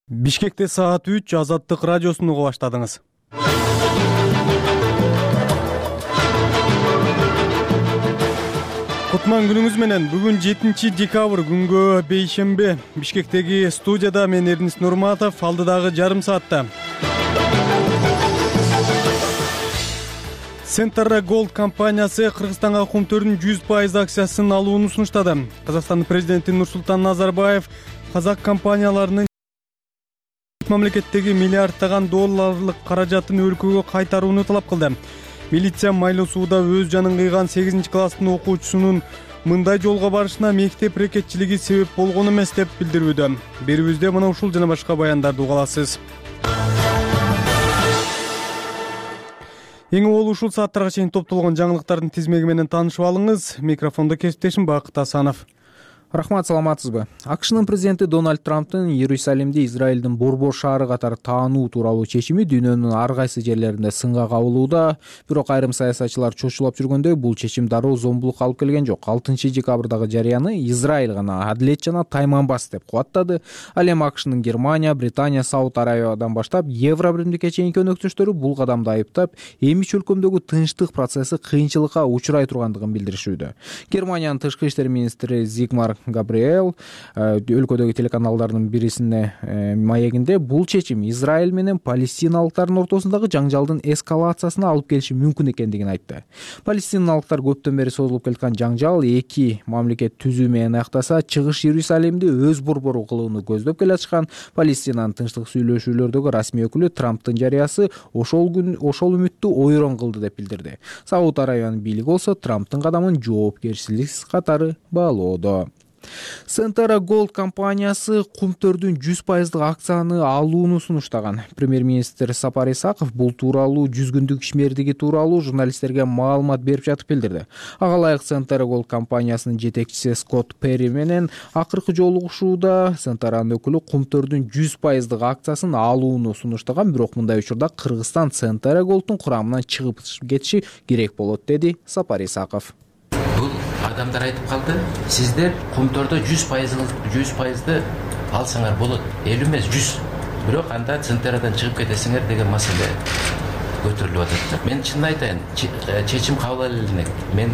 Бишкекте саат 3 Азаттык радиосун уга баштадыңыз. Кутман күнүңүз менен. Бүгүн 7 декабрь күнгө бейшембе. Бишкектеги студияда мен Эрдинис Нурматов, алдыдагы жарым саатта. Centara Gold компаниясы Кыргызстанга кумтөрдүн 100% акциясын алууну сунуштады. Казакстандын президенти Нурсултан Назарбаев казак компанияларынын мамлекеттеги миллиарддаган долларлык каражатын өлкөгө кайтарууну талап кылды. Милиция Майлуу сууда өз жанын кыйган 8-класстын окуучусунун мындай жолго барышына мектеп рекетчилиги себеп болгон эмес деп билдирүүдө. Берүүбүздө мына ушул жана башка баяндарды уга аласыз. Эң уул ушул сааттарга чейин топтолгон жаңылыктардын тизмеги менен таанышып алыңыз. Микрофондо кесиптешим Бакыт Асанов. Рахмат, саламатсызбы? АКШнын президенти Дональд Трамптын Иерусалимди Израилдин борбор шаары катары таануу тууралуу чечими дүйнөнүн ар кайсы жерлеринде сынга кабылууда. Бирок айрым саясатчылар чочулап жүргөндөй, бул чечим дароо зомбулукка алып келген жок. 6 декабрдагы жарыяны Израиль гана адилет жана тайманбас деп кубаттады. Ал эми АКШнын Германия, Британия, Сауд Арабиядан баштап Евро биримдикке чейинки өнөктөштөрү бул кадамды айыптап, эми чөлкөмдөгү тынчтык процесси кыйынчылыкка учурай тургандыгын билдиришүүдө. Германиянын тышкы иштер министри Зигмар Габриэл өлкөдөгү телеканалдардын бирисине маегинде бул чечим Израиль менен палестиналыктардын ортосундагы жаңжалдын эскалациясына алып келиши мүмкүн экендигин айтты. Палестиналыктар көптөн бери созулуп келаткан жаңжал эки мамлекет түзүү менен аяктаса, чыгыш Иерусалимди өз борбору кылууну көздөп келатышкан. Палестинанын тынчтык сүйлөшүүлөрдөгү расмий өкүлү Трамптын жарыясы ошол үмүттү ойрон кылды деп билдирди. Сауд Арабиянын бийлиги болсо Трамптын кадамын жоопкерчиликсиз катары баалоодо. Centara Gold компаниясы кумтөрдүн 100% акцияны алууну сунуштаган. Премьер-министр Сапар Исаков бул тууралуу 100 күндүк ишмердиги тууралуу журналисттерге маалымат берип жатып билдирди. Ага ылайык Centara Gold компаниясынын жетекчиси Скотт Перри менен акыркы жолугушууда Centara'нын өкүлү кумтөрдүн 100% акциясын алууну сунуштаган, бирок мындай учурда Кыргызстан Centara Gold'ун курамынан чыгып кетиши керек болот, деди Сапар Исаков. Бул адамдар айтып калды, сиздер кумтөрдө 100%ды алсаңар болот, 50 эмес 100. Бирок анда Centara'дан чыгып кетесиңер деген маселе көтөрүлүп атат. Мен чынын айтайын, чечим кабыл алынат. Мен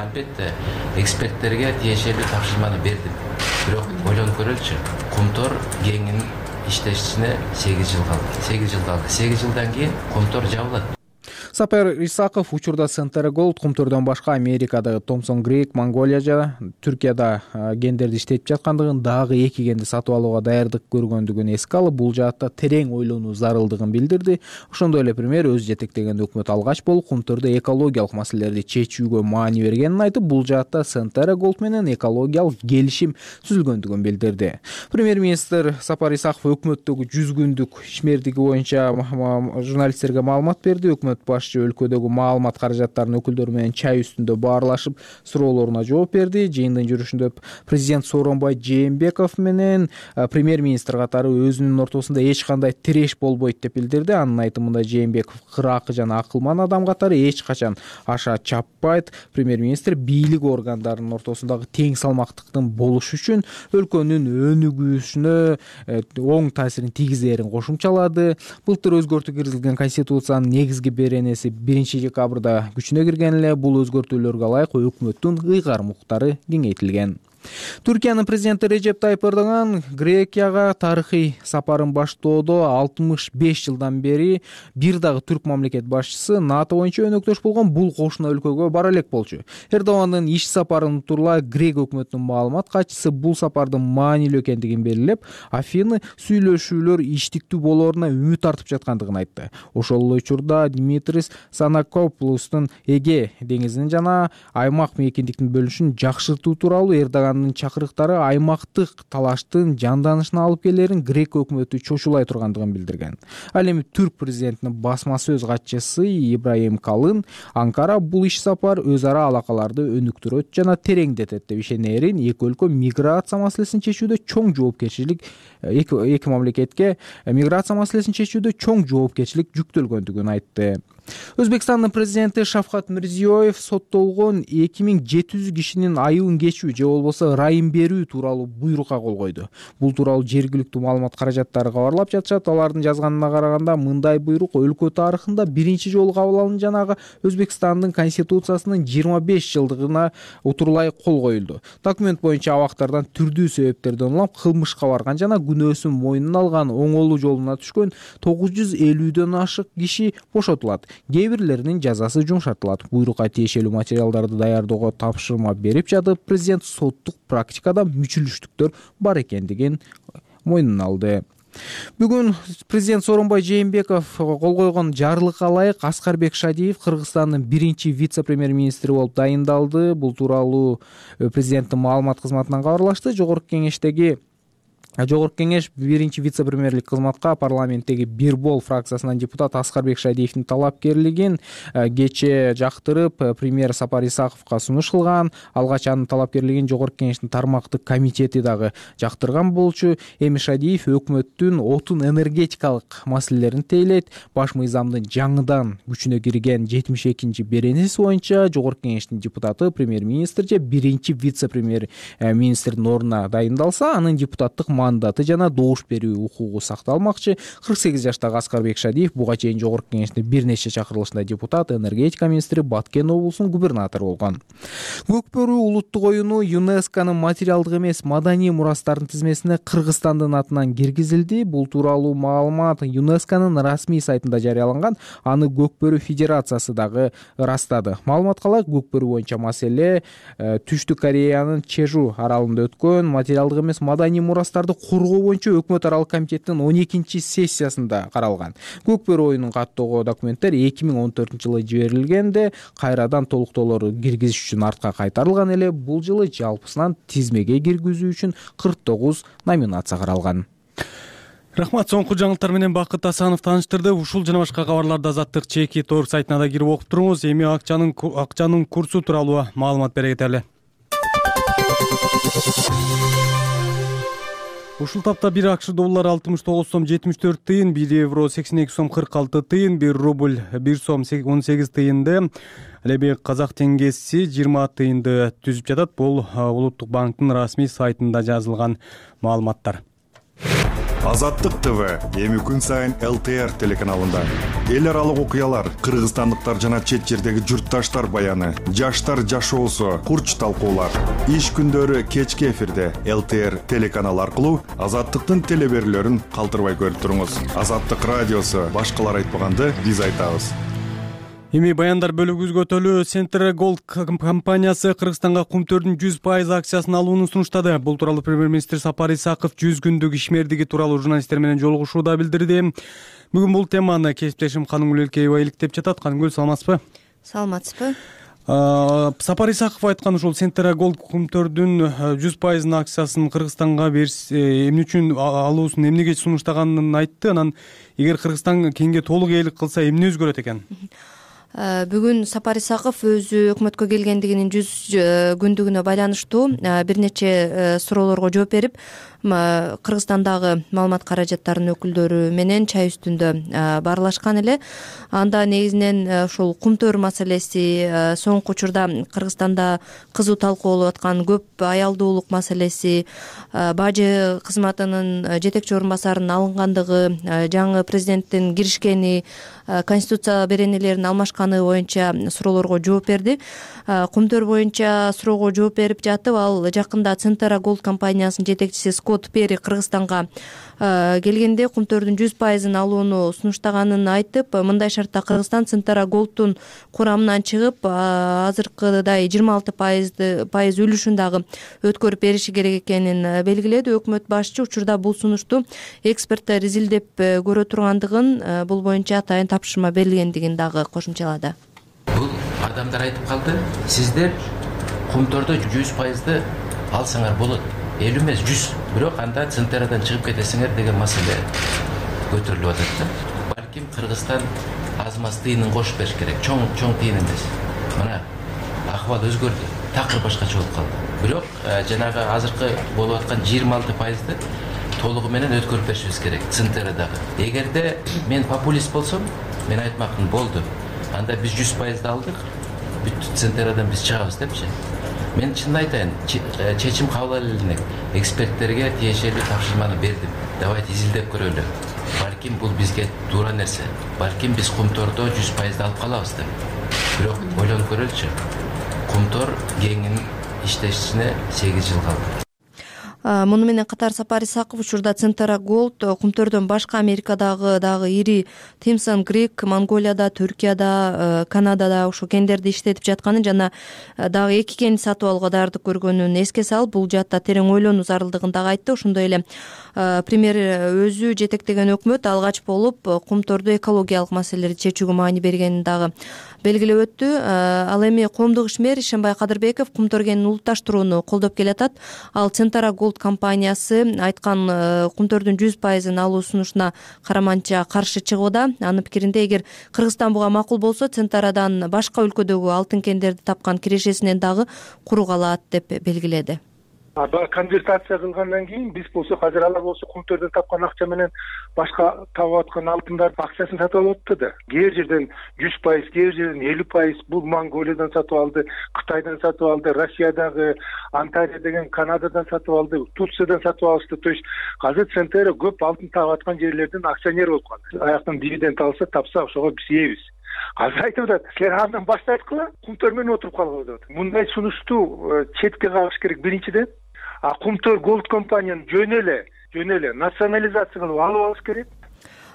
албетте эксперттерге тиешелүү тапшырманы бердим. Бирок ойлонуп көрөлүчү, кумтөр кеңинин иштешине 8 жыл калды. 8 жылдан кийин кумтөр жабылат. Сапар Исаков учурда Centara Gold кумтөрдөн башка Америкадагы Thomson Creek, Монголия жана Түркияда гендерди иштетип жаткандыгын, дагы 2 генди сатып алууга даярдык көргөндүгүн эске алып, бул жаатта терең ойлонуу зарылдыгын билдирди. Ошондой эле премьер өз жетектеген өкмөт алгач болуп кумтөрдө экологиялык маселелерди чечүүгө маани бергенин айтып, бул жаатта Centara Gold менен экологиялык келишим түзүлгөндүгүн билдирди. Премьер-министр Сапар Исаков өкмөттөгү 100 күндүк ишмердиги боюнча журналисттерге маалымат берди. Өкмөт өлкөдөгү маалымат каражаттарынын өкүлдөрү менен чай үстүндө баарлашып суроолоруна жооп берди. Жыйындын жүрүшүндө президент Сооронбай Жээнбеков менен премьер-министр катары өзүнүн ортосунда эч кандай тиреш болбойт деп билдирди. Анын айтымында Жээнбеков кыракы жана акылман адам катары эч качан аша чаппайт. Премьер-министр бийлик органдарынын ортосундагы тең салмактыктын болушу үчүн өлкөнүн өнүгүүсүнө оң таасирин тийгизерин кошумчалады. Былтыр өзгөртүү киргизилген конституциянын негизги беренеси 1 декабрда күчүнө кирген эле. Бул өзгөртүүлөргө ылайык өкмөттүн ыйгарым укуктары кеңейтилген. Түркиянын президенти Режеп Тайып Эрдоган Грекияга тарыхый сапарын баштоодо 65 жылдан бери бир дагы түрк мамлекет башчысы НАТО боюнча өнөктөш болгон бул кошуна өлкөгө бара элек болчу. Эрдогандын иш сапарын тууралуу Грек өкмөтүнүн маалымат катчысы бул сапардын маанилүү экендигин белгилеп, Афины сүйлөшүүлөр иштиктүү болооруна үмүт артып жаткандыгын айтты. Ошол эле учурда Димитрис Санакоплустун Эге деңизинин жана аймак мейкиндиктин бөлүнүшүн жакшыртуу тууралуу Эрдоган чакырыктары аймактык талаштын жанданышына алып келерин Грек өкмөтү чочулай тургандыгын билдирген. Ал эми түрк президентинин басма сөз катчысы Ибрагим Калын Анкара бул иш сапар өз ара алакаларды өнүктүрөт жана тереңдетет деп ишенерин, эки өлкө миграция маселесин чечүүдө чоң жоопкерчилик эки мамлекетке миграция маселесин чечүүдө чоң жоопкерчилик жүктөлгөндүгүн айтты. Өзбекстандын президенти Шавкат Мирзиёев соттолгон 2700 кишинин айыбын кечүү же болбосо ырайым берүү тууралуу буйрукка кол койду. Бул тууралуу жергиликтүү маалымат каражаттары кабарлап жатышат. Алардын жазганына караганда мындай буйрук өлкө тарыхында биринчи жолу кабыл алынды, жанагы Өзбекстандын конституциясынын 25 жылдыгына утурлай кол коюлду. Документ боюнча абактардан түрдүү себептерден улам кылмышка барган жана күнөөсүн мойнуна алган оңолуу жолуна түшкөн 950дөн ашык киши бошотулат. Кээ бирлеринин жазасы жумшартылат. Буйрукка тиешелүү материалдарды даярдоого тапшырма берип жатып, президент соттук практикада мүчүлүштүктөр бар экендигин мойнуна алды. Бүгүн президент Сооронбай Жээнбеков кол койгон жарлыкка ылайык Аскарбек Шадиев Кыргызстандын биринчи вице-премьер-министри болуп дайындалды. Бул тууралуу президенттин маалымат кызматынан кабарлашты. Жогорку кеңеш биринчи вице-премьерлик кызматка парламенттеги Бир Бол фракциясынан депутат Аскарбек Шадиевдин талапкерлигин кечээ жактырып премьер Сапар Исаковго сунуш кылган. Алгач анын талапкерлигин жогорку кеңештин тармактык комитети дагы жактырган болчу. Эми Шадиев өкмөттүн отун энергетикалык маселелерин тейлейт. Баш мыйзамдын жаңыдан күчүнө кирген 72-чи беренеси боюнча жогорку кеңештин депутаты премьер-министр же биринчи вице-премьер-министрдин ордуна дайындалса, анын депутаттык мандаты жана добуш берүү укугу сакталмакчы. 48 жаштагы Аскарбек Шадиев буга чейин жогорку кеңештин бир нече чакырылышында депутат, энергетика министри, Баткен облусунун губернатору болгон. Көкбөрү улуттук оюну ЮНЕСКОнун материалдык эмес маданий мурастардын тизмесине Кыргызстандын атынан киргизилди. Бул тууралуу маалымат ЮНЕСКОнун расмий сайтында жарыяланган. Аны Көкбөрү Федерациясы дагы ырастады. Маалыматка ылайык, Көкбөрү боюнча маселе Түштүк Кореянын Чежу аралында өткөн материалдык эмес маданий мурастарды коргоо боюнча өкмөт аралык комитеттин 12-чи сессиясында каралган. Көкбөрү оюнун каттоого документтер 2014-жылы жиберилгенде кайрадан толуктоолору киргизиш үчүн артка кайтарылган эле. Бул жылы жалпысынан тизмеге киргизүү үчүн 49 номинация каралган. Рахмат, соңку жаңылыктар менен Бакыт Асанов тааныштырды. Ушул жана башка кабарларды Азаттык ЧК.org сайтына да кирип окуп туруңуз. Эми акчанын курсу тууралуу маалымат бере кетели. Ушул тапта 1 АКШ доллары 69 сом 74 тыйын, 1 евро 82 сом 46 тыйын, 1 рубль 1 сом 18 тыйынды. Эми казак теңгеси 20 тыйынды түзүп жатат. Бул Улуттук банктын расмий сайтында жазылган маалыматтар. Азаттык ТВ эми күн сайын ЛТР телеканалында эл аралык окуялар, кыргызстандыктар жана чет жердеги журтташтар баяны, жаштар жашоосу, курч талкуулар. Иш күндөрү кечки эфирде ЛТР телеканалы аркылуу Азаттыктын телеберүүлөрүн калтырбай көрүп туруңуз. Азаттык радиосу башкалар айтпаганды биз айтабыз. Эми баяндар бөлүгүбүзгө өтөлү. Центр Gold компаниясы Кыргызстанга кумтөрдүн 100% акциясын алууну сунуштады. Бул тууралуу премьер-министр Сапар Исаков 100 күндүк ишмердиги тууралуу журналисттер менен жолугушууда билдирди. Бүгүн бул теманы кесиптешим Канымгүл Элкеева иликтеп жатат. Канымгүл, саламатсызбы? Саламатсызбы. Сапар Исаков айткан ушул Центр Gold кумтөрдүн 100% акциясын Кыргызстанга эмне үчүн алуусун эмнеге сунуштаганын айтты. Анан эгер Кыргызстан кеңге толук ээлик кылса эмне өзгөрөт экен? Бүгүн Сапар Исаков өзү өкмөткө келгендигинин 100 күндүгүнө байланыштуу бир нече суроолорго жооп берип, Кыргызстандагы маалымат каражаттарынын өкүлдөрү менен чай үстүндө баарлашкан эле. Анда негизинен ушул кумтөр маселеси, соңку учурда Кыргызстанда кызуу талкууланып аткан көп аялдуулук маселеси, бажы кызматынын жетекчи орун басарынын алынгандыгы, жаңы президенттин киришкени, конституция беренелерин алмашканы боюнча суроолорго жооп берди. Кумтөр боюнча суроого жооп берип жатып, ал жакында Центр Gold компаниясынын жетекчиси Скотт Перри Кыргызстанга келгенде кумтөрдүн 100% алууну сунуштаганын айтып, мындай шартта Кыргызстан Центр Gold'тун курамынан чыгып, азыркыдай 26% үлүшүн дагы өткөрүп бериши керек экенин белгиледи. Өкмөт башчы учурда бул сунушту эксперттер изилдеп көрө тургандыгын, бул боюнча атайын тапшырма берилгендигин дагы кошумчалады. Бул адамдар айтып калды, сиздер кумтөрдө 100% алсаңар болот. 50 эмес 100. Бирок анда Центрдан чыгып кетесиңер деген маселе көтөрүлүп атат да. Балким Кыргызстан аз-маз тыйынын кошуп бериш керек. Чоң тыйын эмес. Мына акыбал өзгөрдү. Такыр башкача болуп калды. Бирок жанагы азыркы болуп аткан 26%ды толугу менен өткөрүп беришибиз керек Центрдагы. Эгерде мен популист болсом, мен айтмакмын, болду. анда биз 100% алдык, бүт Центерадан биз чыгабыз депчи. Мен чынын айтайын, чечим кабыл алып элек, эксперттерге тиешелүү тапшырманы бердим. Давайте изилдеп көрөлү. Балким бул бизге туура нерсе. Балким биз Кумтордо 100% алып калабыз деп. Бирок ойлонуп көрөлүчү. Кумтор кеңин иштешине 8 жыл калды. Муну менен катар Сапар Исаков учурда Центера Голд Кумтордон башка Америкадагы дагы ири Томсон Грик, Монголияда, Түркияда, Канадада ошо кендерди иштетип жатканын жана дагы 2 кенди сатып алууга даярдык көргөнүн эске салып, бул жаатта терең ойлонуу зарылдыгын дагы айтты. Ошондой эле премьер өзү жетектеген өкмөт алгач болуп Кумтордо экологиялык маселелерди чечүүгө маани бергенин дагы белгилеп өттү. Ал эми коомдук ишмер Ишенбай Кадырбеков Кумтор кенин улутташтырууну колдоп келатат. Ал Центера Голд компаниясы айткан Кумтордун 100% алуу сунушуна караманча каршы чыгууда. Анын пикиринде, эгер Кыргызстан буга макул болсо, Центерадан башка өлкөдөгү алтын кендерди тапкан кирешесинен дагы куру калат деп белгиледи. Конвертация кылгандан кийин биз болсо азыр алар болсо Кумтордон тапкан акча менен башка табып аткан алтындардын акчасын сатып алып атты да. Кээ бир жерден 100%, кээ бир жерден 50%, бул Монголиядан сатып алды, Кытайдан сатып алды, Россиядагы Антария деген Канададан сатып алды, Турциядан сатып алышты. То есть азыр Центера көп алтын табып аткан жерлердин акционери болуп калды. Аяктан дивиденд алса, тапса, ошого биз ээбиз. Азыр айтып атат, силер андан баш тарткыла, Кумтор менен отуруп калгыла деп атат. Мындай сунушту четке кагыш керек биринчиден. Кумтор Голд компанияны жөн эле национализация кылып алып алыш керек.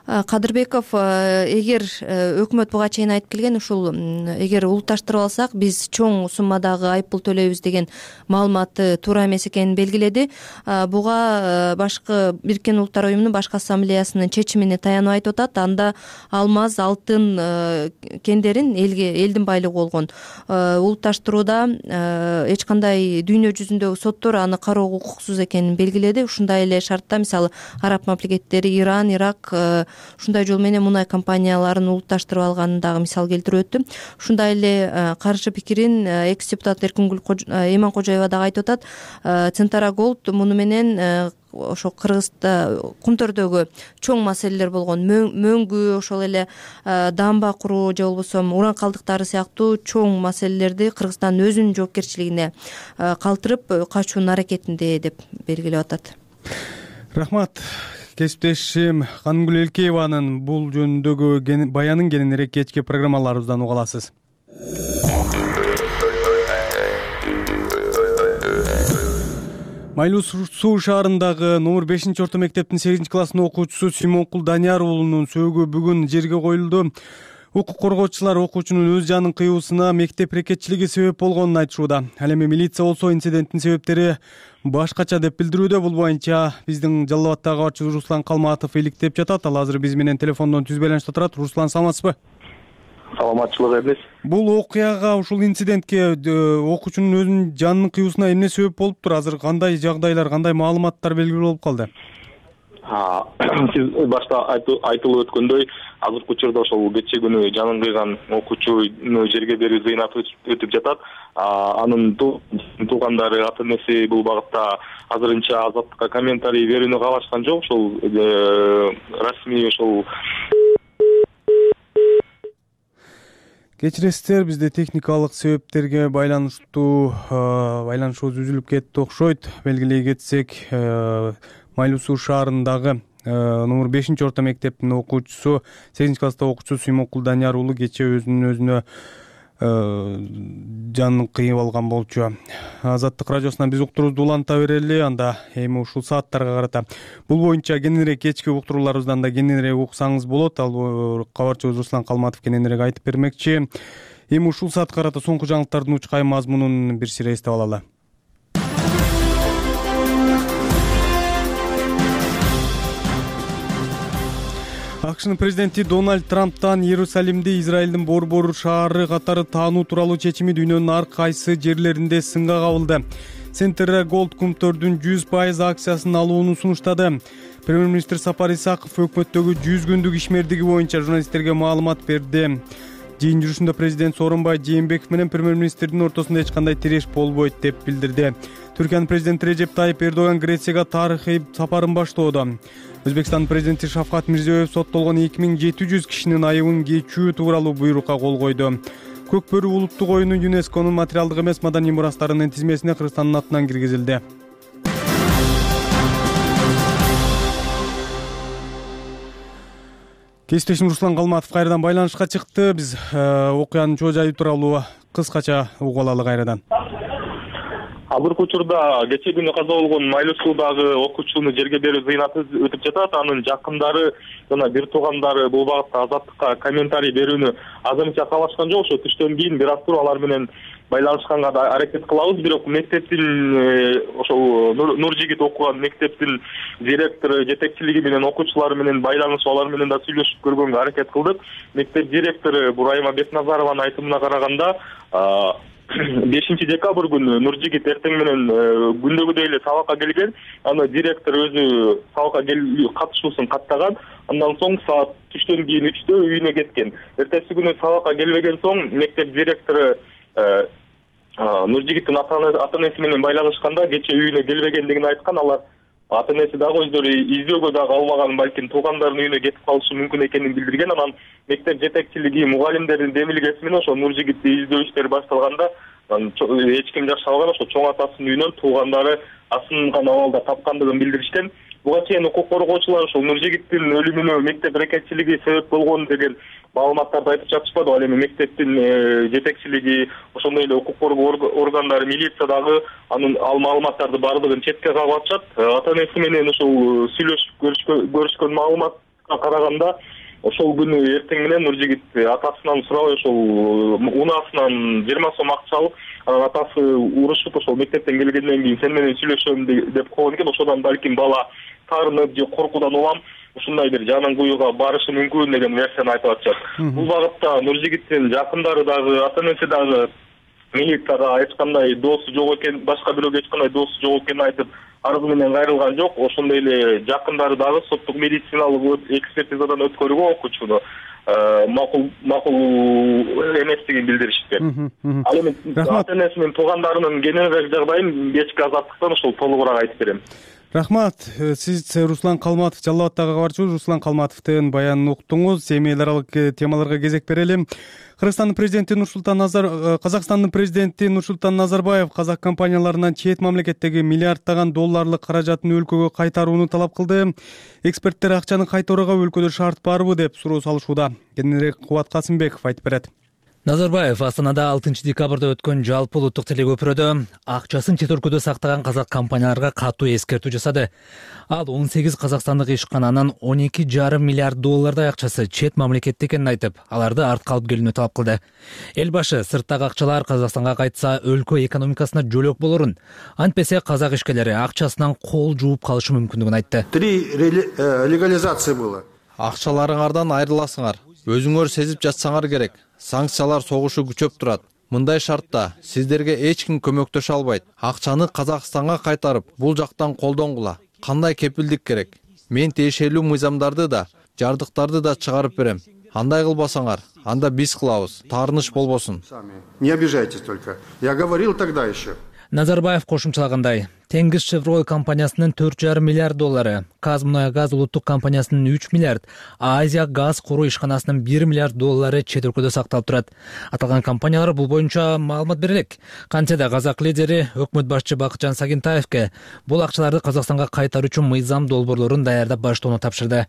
Кадырбеков эгер өкмөт буга чейин айтып келген, ушул эгер улутташтырып алсак биз чоң суммадагы айыппул төлөйбүз деген маалыматы туура эмес экенин белгиледи. Буга башкы Бириккен Улуттар Уюмунун башкы ассамблеясынын чечимине таянып айтып атат. Анда алмаз, алтын кендерин элдин байлыгы болгон улутташтырууда эч кандай дүйнө жүзүндөгү соттор аны кароого укуксуз экенин белгиледи. Ушундай эле шартта мисалы араб мамлекеттери, Иран, Ирак ушундай жол менен мунай компанияларын улутташтырып алганын дагы мисал келтирип өттү. Ушундай эле каршы пикирин экс депутат Эркингүл Эйманкожоева дагы айтып атат. Центера Голд муну менен ошо Кыргызда Кумтордогу чоң маселелер болгон мөңгү, ошол эле дамба куруу же болбосо уран калдыктары сыяктуу чоң маселелерди Кыргызстан өзүнүн жоопкерчилигине калтырып качуунун аракетинде деп белгилеп атат. Рахмат. Кесиптешим Канымгүл Элкееванын бул жөнүндөгү баянын кененирээк кечки программаларыбыздан уга аласыз. Майлуу Суу шаарындагы номер 5-орто мектептин 8-класстын окуучусу Симонкул Данияр уулунун сөөгү бүгүн жерге коюлду. Укук коргоочулар окуучунун өз жанын кыюусуна мектеп рекетчилиги себеп болгонун айтышууда. Ал эми милиция болсо инциденттин себептери башкача деп билдирүүдө. Бул боюнча биздин Жалал Абаддагы кабарчыбыз Руслан Калматов иликтеп жатат. Ал азыр биз менен телефондон түз байланышта турат. Руслан, саламатсызбы? Саламатчылык эмес. Бул окуяга, ушул инцидентке окуучунун өзүнүн жанынын кыюусуна эмне себеп болуптур? Азыр кандай жагдайлар, кандай маалыматтар белгилүү болуп калды? Сиз башта айтылып өткөндөй, азыркы учурда ошол кечээ күнү жанын кыйган окуучуну жерге берүү зыйнат өтүп жатат. Анын туугандары, ата энеси бул багытта азырынча Азаттыкка комментарий берүүнү каалашкан жок. Ошол расмий ошол Кечиресиздер, бизде техникалык себептерге байланышыбыз үзүлүп кетти окшойт. Белгилей кетсек, Майлуу Суу шаарындагы номер 5-орто мектептин окуучусу, 8-класста окуучусу Симонкул Данияр уулу кечээ өзүнө жанын кыйып алган болчу. Азаттык радиосунан биз уктуруубузду уланта берели, анда эми ушул сааттарга карата бул боюнча кененирээк кечки уктурууларыбыздан да кененирээк уксаңыз болот. Ал кабарчыбыз Руслан Калматов кененирээк айтып бермекчи. Эми ушул саатка карата соңку жаңылыктардын учкай мазмунун бир сире эстеп алалы. АКШнын президенти Дональд Трамптан Иерусалимди Израилдин борбор шаары катары таануу тууралуу чечими дүйнөнүн ар кайсы жерлеринде сынга кабылды. Центера Голд Кумтордун 100% акциясын алууну сунуштады. Премьер-министр Сапар Исаков өкмөттөгү 100 күндүк ишмердиги боюнча журналисттерге маалымат берди. Жыйын жүрүшүндө президент Сооронбай Жээнбеков менен премьер-министрдин ортосунда эч кандай тиреш болбойт деп билдирди. Түркиянын президенти Режеп Тайип Эрдоган Грецияга тарыхый сапарын баштоодо. Өзбекстан президенти Шавкат Мирзиёев соттолгон 2700 кишинин айыбын кечүү тууралуу буйрукка кол койду. Көк бөрү улуттук оюну ЮНЕСКОнун материалдык эмес маданий мурастарынын тизмесине Кыргызстандын атынан киргизилди. Кесиптешим Руслан Калматов кайрадан байланышка чыкты. Биз окуянын чоо жайы тууралуу кыскача угуп алалы кайрадан. Азыркы учурда кечээ күнү каза болгон Майлуу суудагы окуучуну жерге берүү зыйнаты өтүп жатат. Анын жакындары жана бир туугандары бул багытта Азаттыкка комментарий берүүнү азырынча каалашкан жок. Ошо түштөн кийин бир аз туруп алар менен байланышканга да аракет кылабыз. Бирок мектептин ошол Нуржигит окуган мектептин директору жетекчилиги менен окуучулар менен байланышып, алар менен да сүйлөшүп көргөнгө аракет кылдык. Мектеп директору Бурайма Бекназарованын айтымына караганда 5 декабрь күнү Нуржигит эртең менен күндөгүдөй эле сабакка келген. Аны директор өзү сабакка катышуусун каттаган. Андан соң саат түштөн кийин 3-тө үйүнө кеткен. Эртеси күнү сабакка келбеген соң мектеп директору Нуржигиттин ата-энеси менен байланышканда кечээ үйүнө келбегендигин айткан. Алар ата-энеси дагы өздөрү издөөгө дагы албаган, балким туугандарынын үйүнө кетип калышы мүмкүн экенин билдирген. Анан мектеп жетекчилиги мугалимдердин демилгеси менен ошо Нуржигитти издөө иштери башталганда эч ким жашабаган. Ошо чоң атасынын үйүнөн туугандары асынган абалда тапкандыгын билдиришкен. Буга чейин укук коргоочулар ошол Нуржигиттин өлүмүнө мектеп рекетчилиги себеп болгон деген маалыматтарды айтып жатышпады. Ал эми мектептин жетекчилиги, ошондой эле укук коргоо органдары, милиция дагы ал маалыматтарды баардыгын четке кагып атышат. Ата-энеси менен ошол сүйлөшүп көрүшкөн маалыматка караганда ошол күнү эртең менен Нуржигит атасынан сурабай ошол унаасынан 20 сом акча алып, анан атасы урушуп ошол мектептен келгенден кийин сен менен сүйлөшөм деп койгон экен. Ошодон балким бала таарынып же коркуудан улам ушундай бир жанын кууюуга барышы мүмкүн деген версияны айтып атышат. Бул багытта Нуржигиттин жакындары дагы, ата-энеси дагы милицияга эч кандай доосу жок экен, башка бирөөгө эч кандай доосу жок экенин айтып арыз менен кайрылган жок. Ошондой эле жакындары дагы соттук медициналык экспертизадан өткөрүүгө окуучуну макул эместигин билдиришти. Ал эми ата-энеси менен туугандарынын кененирээк жагдайын кечки Азаттыктан ошол толугураак айтып берем. Рахмат. Сиз Руслан Калматов, Жалал Абадтагы кабарчы Руслан Калматовдун баянын уктуңуз. Эми эл аралык темаларга кезек берели. Казакстандын президенти Нурсултан Назарбаев казак компанияларынан чет мамлекеттеги миллиарддаган долларлык каражатын өлкөгө кайтарууну талап кылды. Эксперттер акчаны кайтарууга өлкөдө шарт барбы деп суроо салышууда. Кененирээк Кубат Касымбеков айтып берет. Назарбаев Астанада 6 декабрда өткөн жалпы улуттук телекөпүрөдө акчасын чет өлкөдө сактаган казак компанияларга катуу эскертүү жасады. Ал 18 казакстандык ишкананын 12,5 миллиард доллардай акчасы чет мамлекетте экенин айтып, аларды артка алып келүүнү талап кылды. Эл башы сырттагы акчалар Казакстанга кайтса өлкө экономикасына жөлөк болорун, антпесе казак ишкерлери акчасынан кол жууп калышы мүмкүндүгүн айтты. 3 легализация было. Акчаларыңардан айрыласыңар. Өзүңөр сезип жатсаңар керек. Санкциялар согушу күчөп турат. Мындай шартта сиздерге эч ким көмөктөшө албайт. Акчаны Казакстанга кайтарып, бул жактан колдонгула. Кандай кепилдик керек? Мен тиешелүү мыйзамдарды да, жардыктарды да чыгарып берем. Андай кылбасаңар, анда биз кылабыз. Таарыныч болбосун. Не обижайтесь только. Я говорил тогда еще. Назарбаев кошумчалагандай, Теңиз Шевроле компаниясынын 4,5 миллиард доллары, Казмунайгаз улуттук компаниясынын 3 миллиард, Азия газ куруу ишканасынын 1 миллиард доллары чет өлкөдө сакталып турат. Аталган компаниялар бул боюнча маалымат бере элек. Кантсе да казак лидери өкмөт башчы Бакытжан Сагентаевке бул акчаларды Казакстанга кайтаруу үчүн мыйзам долбоорлорун даярдап баштоону тапшырды.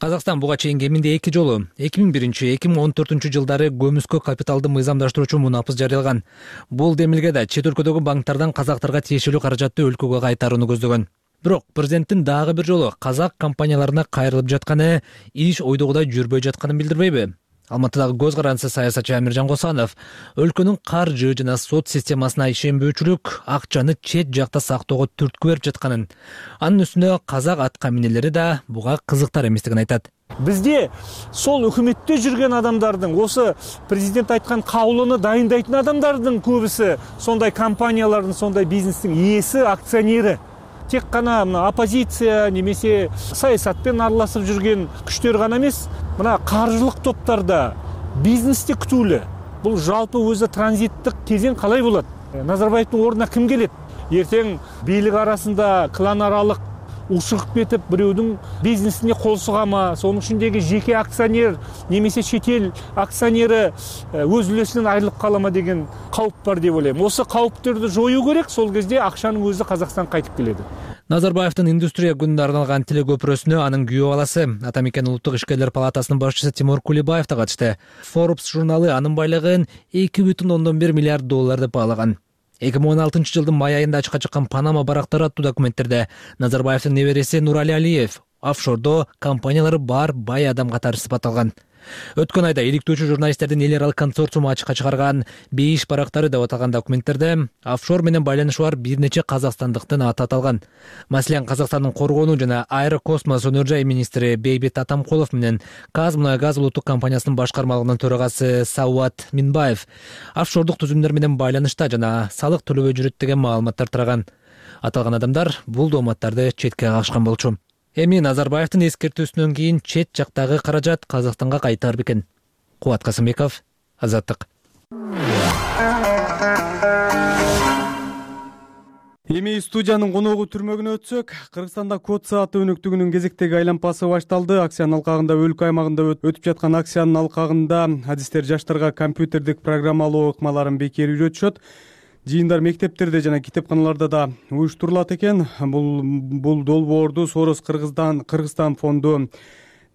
Казакстан буга чейин кеминде 2 жолу 2001-2014 жылдары көмүскө капиталды мыйзамдаштыруучу мунапыс жарыялаган. Бул демилгеде чет өлкөдөгү банктардан казактарга тиешелүү каражатты өлкөгө кайтарууну көздөгөн. Бирок президенттин дагы бир жолу казак компанияларына кайрылып жатканы иш ойдогудай жүрбөй жатканын билдирбейби? Алматыдагы көз карандысы саясатчы Амиржан Косанов өлкөнүн каржы жана сот системасына ишенбөөчүлүк акчаны чет жакта сактоого түрткү берип жатканын, анын үстүнө казак аткаминерлери да буга кызыктар эместигин айтат. Бизде сол өкмөттө жүргөн адамдардын, осы президент айткан каулуну дайындайтын адамдардын көбүсү сондай компаниялардын, сондай бизнестин ээси, акционери. Тек гана оппозиция немесе саясатпен аралашып жүрген күчтөр гана эмес, мына каржылык топтарда бизнесте күтүүлүү. Бул жалпы өзү транзиттик кезең калай болот? Назарбаевдин ордуна ким келет? Эртең бийлик арасында клан аралык ушугуп кетип бирөөдүн бизнесине кол сугама, сонун ичиндеги жеке акционер немесе чет эл акционери өз үлесинен айрылып калама деген кауп бар деп ойлойм. Осы кауптарды жоюу керек, сол кезде акчанын өзү Казакстанга кайтып келеді. Назарбаевдин индустрия күнүнө арналган телекөпүрөсүнө анын күйөө баласы, Атамекен улуттук ишкерлер палатасынын башчысы Тимур Кулибаев да катышты. Forbes журналы анын байлыгын $2,1 миллиард деп баалаган. 2016 жылдын май айында ачыкка чыккан Панама барактары аттуу документтерде Назарбаевдин небереси Нурали Алиев офшордо компаниялары бар бай адам катары сыпатталган. Өткөн айда иликтөөчү журналисттердин эл аралык консорциуму ачыкка чыгарган 5 барактары деп аталган документтерде офшор менен байланышы бар бир нече казакстандыктын аты аталган. Маселен, Казакстандын коргонуу жана аэрокосмос өнөр жай министри Бейбит Атамкулов менен Казмунайгаз улуттук компаниясынын башкармалыгынын төрагасы Сауат Минбаев офшордук түзүмдөр менен байланышта жана салык төлөбөй жүрөт деген маалыматтар тараган. Аталган адамдар бул дооматтарды четке кагышкан болчу. Эми Назарбаевдин эскертүүсүнөн кийин чет жактагы каражат Казакстанга кайтар бекен? Кубат Касымбеков, Азаттык. Эми студиянын коногу түрмөгүнө өтсөк, Кыргызстанда код сааты өнөктүгүнүн кезектеги айланпасы башталды. Акциянын алкагында өлкө аймагында өтүп жаткан акциянын алкагында адистер жаштарга компьютердик программалоо ыкмаларын бекер үйрөтүшөт. Жыйындар мектептерде жана китепканаларда да уюштурулат экен. Бул долбоорду Сорос Кыргызстан фонду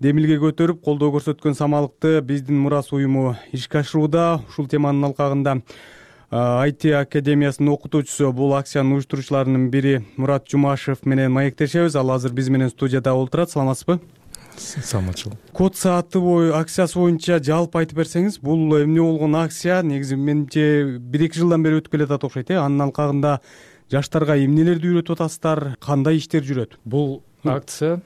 демилге көтөрүп колдоо көрсөткөн самалыкты биздин Мурас уюму ишке ашырууда. Ушул теманын алкагында IT академиясынын окутуучусу, бул акциянын уюштуруучуларынын бири Мурат Жумашев менен маектешебиз. Ал азыр биз менен студияда отурат. Саламатсызбы? Саламатчылык. Код сааты акциясы боюнча жалпы айтып берсеңиз, бул эмне болгон акция? Негизи менимче 1-2 жылдан бери өтүп келатат окшойт, Анын алкагында жаштарга эмнелерди үйрөтүп атасыздар, кандай иштер жүрөт? Бул акция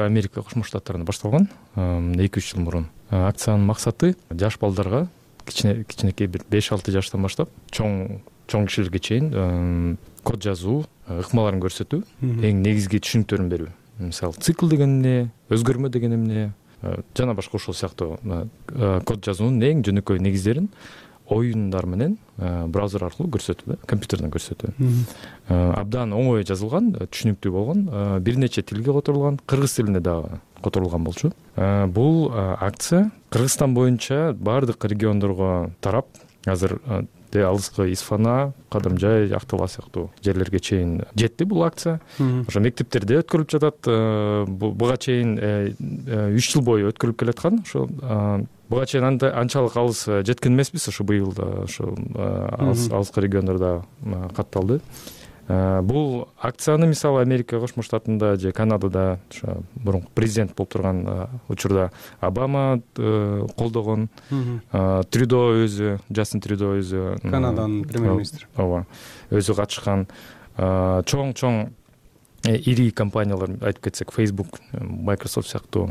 Америка Кошмо Штаттарында башталган 2-3 жыл мурун. Акциянын максаты жаш балдарга, кичинекей бир 5-6 жаштан баштап чоң кишилерге чейин код жазуу ыкмаларын көрсөтүү, эң негизги түшүнүктөрүн берүү. Мисалы, цикл деген эмне, өзгөрмө деген эмне, жана башка ошол сыяктуу код жазуунун эң жөнөкөй негиздерин оюндар менен браузер аркылуу көрсөтүү, компьютерден көрсөтүү. Абдан оңой жазылган, түшүнүктүү болгон, бир нече тилге которулган, кыргыз тилине дагы которулган болчу. Бул акция Кыргызстан боюнча бардык региондорго тарап, азыр алыскы Исфана, Кадамжай, Актала сыяктуу жерлерге чейин жетти бул акция. Ошо мектептерде өткөрүлүп жатат. Буга чейин 3 жыл бою өткөрүлүп келаткан. Ошо буга чейин анчалык алыс жеткен эмеспиз. Ошо быйыл ошо алыскы региондордо катталды. Бул акцияны мисалы Америка Кошмо Штатында же Канадада ошо мурунку президент болуп турган учурда Обама колдогон, Трюдо өзү, Джастин Трюдо өзү, Канаданын премьер-министри. Ооба, өзү катышкан. Чоң ири компаниялар айтып кетсек, Facebook, Microsoft сыяктуу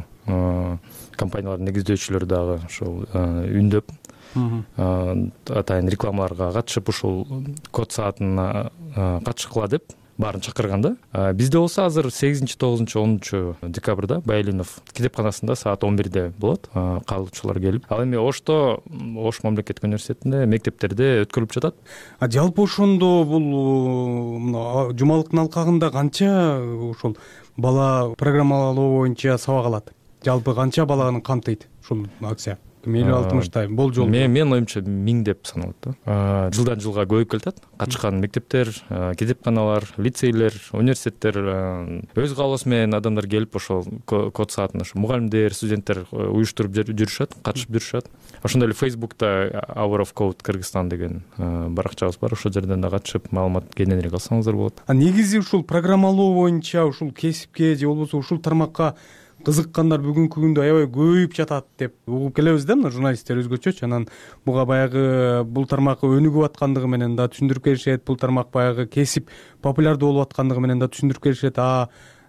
компаниялардын негиздөөчүлөрү дагы ошол үндөп атайын рекламаларга катышып, ушул код саатына катышкыла деп баарын чакырганда. Бизде болсо азыр 8, 9, 10 декабрда Байлинов китепканасында саат 11-де болот. Каалоочулар келип, ал эми Ош мамлекеттик университетинде, мектептерде өткөрүлүп жатат. Жалпы ошондо бул жумалыктын алкагында канча ошол бала программалоо боюнча сабак алат? Жалпы канча баланы камтыйт ушул акция? 50-60 болжол. Мен оюмча 1000 деп саналат да. Жылдан жылга көбөйүп келатат. Катышкан мектептер, китепканалар, лицейлер, университеттер өз каалоосу менен адамдар келип ошол код саатын ошо мугалимдер, студенттер уюштуруп жүрүшөт, катышып жүрүшөт. Ошондой эле Facebook'та Hour of Code Кыргызстан деген баракчабыз бар. Ошол жерден да катышып маалымат кененирээк алсаңыздар болот. Негизи ушул программалоо боюнча ушул кесипке же болбосо ушул тармакка кызыккандар бүгүнкү күндө аябай көбөйүп жатат деп угуп келебиз да, мына журналисттер өзгөчөчү. Анан буга баягы бул тармак өнүгүп аткандыгы менен да түшүндүрүп беришет, бул тармак баягы кесип популярдуу болуп аткандыгы менен да түшүндүрүп беришет.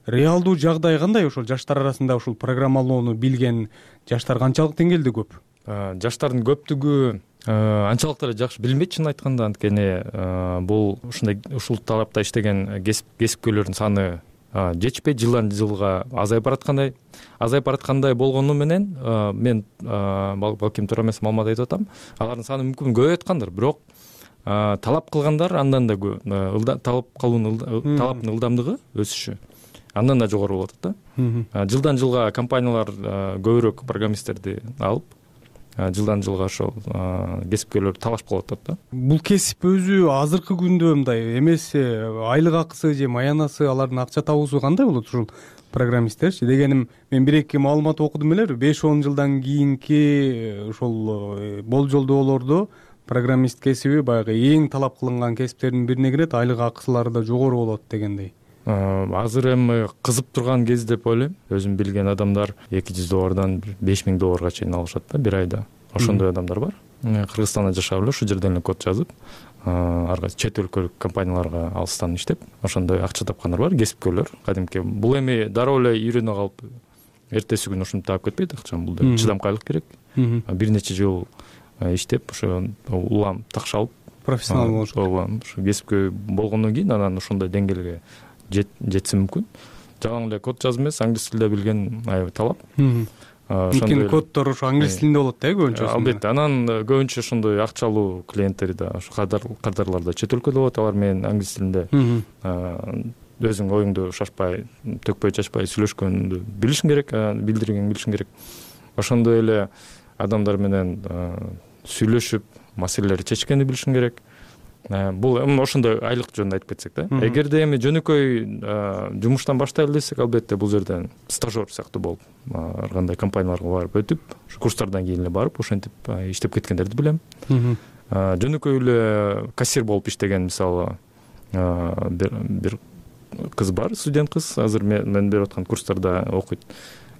Реалдуу жагдай кандай? Ошол жаштар арасында ушул программалоону билген жаштар канчалык деңгээлде көп? Жаштардын көптүгү анчалык деле жакшы билбейт, чын айтканда. Анткени бул ушул талапта иштеген кесипкөйлөрдүн саны жетишпейт, жылдан жылга азайып бараткандай болгону менен мен балким туура эмес маалымат айтып атам. Алардын саны мүмкүн көбөйүп аткандыр, бирок талап кылгандар андан да талап кылуунун талаптын ылдамдыгы өсүшү андан да жогору болуп атат да. Жылдан жылга компаниялар көбүрөөк программисттерди алып, жылдан жылга ошол кесипкерлерди талашып калып атат да. Бул кесип өзү азыркы күндө мындай эмес, айлык акысы же маянасы, алардын акча табуусу кандай болот ушул программисттерчи? Дегеним, мен бир-эки маалымат окудум эле, 5-10 жылдан кийинки ошол болжолдоолордо программист кесиби баягы эң талап кылынган кесиптердин бирине кирет, айлык акысылары да жогору болот дегендей. Азыр эми кызып турган кез деп ойлойм. Өзүм билген адамдар $200 $5000 чейин алышат да бир айда. Ошондой адамдар бар. Кыргызстанда жашап эле ушул жерден эле код жазып, арга чет өлкөлүк компанияларга алыстан иштеп, ошондой акча тапкандар бар, кесипкерлер. Кадимки бул эми дароо эле үйрөнө калып, эртеси күнү ушинтип таап кетпейт акчаны. Бул чыдамкайлык керек. Бир нече жыл иштеп, ошо улам такшалып, профессионал болуш керек. Ооба, ушу кесипкөй болгондон кийин анан ошондой деңгээлге жетсе мүмкүн. Жалаң эле код жазып эмес, англис тилде билген аябай талап. Ошондой коддор ошо англис тилинде болот да көбүнчө. Албетте, анан көбүнчө ошондой акчалуу клиенттер да, ошо кардарлар да чет өлкөдө болот, алар менен англис тилинде өзүң оюңду шашпай, төкпөй чачпай сүйлөшкөндү билишиң керек, билдиргенин билишиң керек. Ошондой эле адамдар менен сүйлөшүп, маселелерди чечкенди билишиң керек. Бул ошондой айлык жөнүндө айтып кетсек да. Эгерде эми жөнөкөй жумуштан баштайлы десек, албетте бул жерден стажер сыяктуу болуп, ар кандай компанияларга барып өтүп, ушу курстардан кийин эле барып, ошентип иштеп кеткендерди билем. Жөнөкөй эле кассир болуп иштеген, мисалы, бир кыз бар, студент кыз, азыр мен берип аткан курстарда окуйт.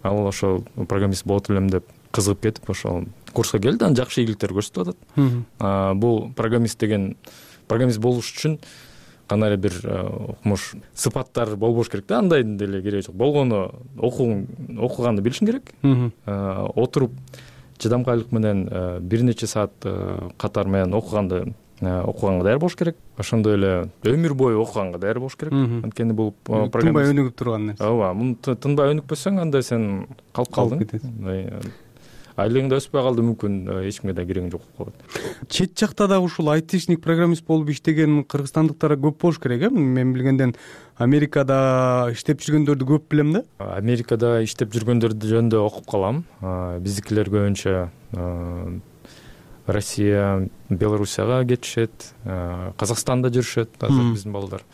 Ал ошол программист болот элем деп кызыгып кетип, ошол курска келди, анан жакшы ийгиликтер көрсөтүп атат. Бул программист болуш үчүн кандай бир укмуш сыпаттар болбош керек да, андай деле кереги жок. Болгону окуганды билишиң керек. Отуруп чыдамкайлык менен бир нече саат катар менен окуганга даяр болуш керек. Ошондой эле өмүр бою окуганга даяр болуш керек. Анткени бул программист тынбай өнүгүп турган нерсе. Ооба, муну тынбай өнүкпөсөң, анда сен калып калдың. Айлыгың да өспөй калды, мүмкүн эч кимге да керегиң жок болуп калат. Чет жакта дагы ушул айтишник программист болуп иштеген кыргызстандыктар көп болуш керек, Мен билгенден Америкада иштеп жүргөндөрдү көп билем да. Америкада иштеп жүргөндөрдү жөнүндө окуп калам. Биздикилер көбүнчө Россия, Белоруссияга кетишет, Казакстанда жүрүшөт азыр биздин балдар.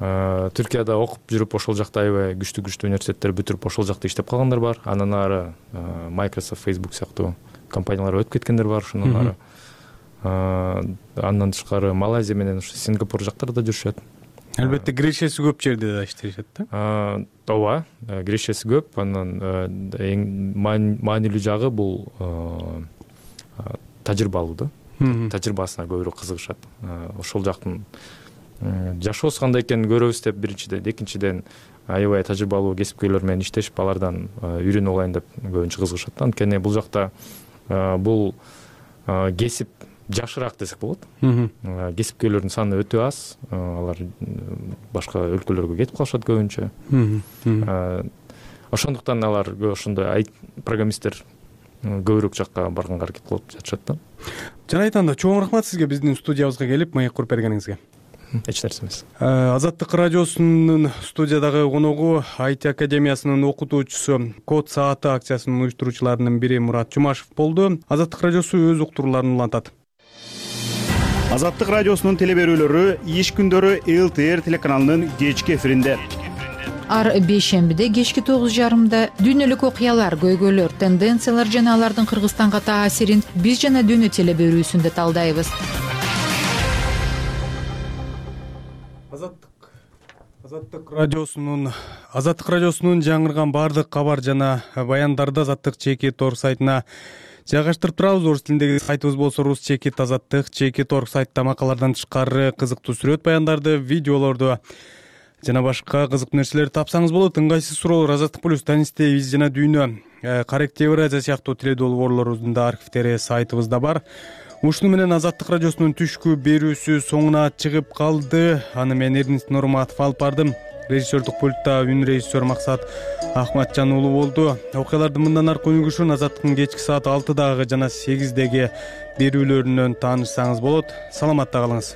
Түркияда окуп жүрүп, ошол жакта аябай күчтүү университеттер бүтүрүп, ошол жакта иштеп калгандар бар. Андан ары Microsoft, Facebook сыяктуу компаниялар өтүп кеткендер бар, ошондон ары. Андан тышкары Малайзия менен ушу Сингапур жактарда жүрүшөт. Албетте, кирешеси көп жерде да иштешет да. Ооба, кирешеси көп. Анан эң маанилүү жагы бул тажрыйба алуу да. Тажрыйбасына көбүрөөк кызыгышат. Ошол жактын жашоосу кандай экенин көрөбүз деп биринчиден, экинчиден аябай тажрыйбалуу кесипкерлер менен иштешип, алардан үйрөнүп алайын деп көбүнчө кызыгышат. Анткени бул жакта бул кесип жашыраак десек болот. Кесипкерлердин саны өтө аз, алар башка өлкөлөргө кетип калышат көбүнчө. Ошондуктан алар ошондой программисттер көбүрөөк жакка барганга аракет кылып жатышат да. Жана айтганда чоң рахмат сизге биздин студиябызга келип маек куруп бергениңизге. Эч нерсе эмес. Азаттык радиосунун студиядагы коногу IT академиясынын окутуучусу, Код сааты акциясынын уюштуруучуларынын бири Мурат Жумашев болду. Азаттык радиосу өз уктурууларын улантат. Азаттык радиосунун телеберүүлөрү иш күндөрү ЛТР телеканалынын кечки эфиринде. Ар бейшембиде кечки 9:30 дүйнөлүк окуялар, көйгөйлөр, тенденциялар жана алардын Кыргызстанга таасирин биз жана дүйнө телеберүүсүндө талдайбыз. Азаттык радиосунун жаңырган баардык кабар жана баяндарды Азаттык /Org сайтына жайгаштырып турабыз. Орус тилиндеги сайтыбыз болсо rus/Azattyk /Org сайтта макалалардан тышкары кызыктуу сүрөт баяндарды, видеолорду жана башка кызыктуу нерселерди тапсаңыз болот. Ыңгайсыз суроолор Азаттык плюс, Танисте, биз жана дүйнө, Коррект Евразия сыяктуу тиле долбоорлорубуздун да архивдери сайтыбызда бар. Ушуну менен Азаттык радиосунун түшкү берүүсү соңуна чыгып калды. Аны мен Эрнест Нурматов алып бардым. Режиссердук пультта үн режиссер Максат Ахматжан уулу болду. Окуялардын мындан аркы өнүгүшүн Азаттыктын кечки саат 6дагы жана 8деги берүүлөрүнөн таанышсаңыз болот. Саламатта калыңыз.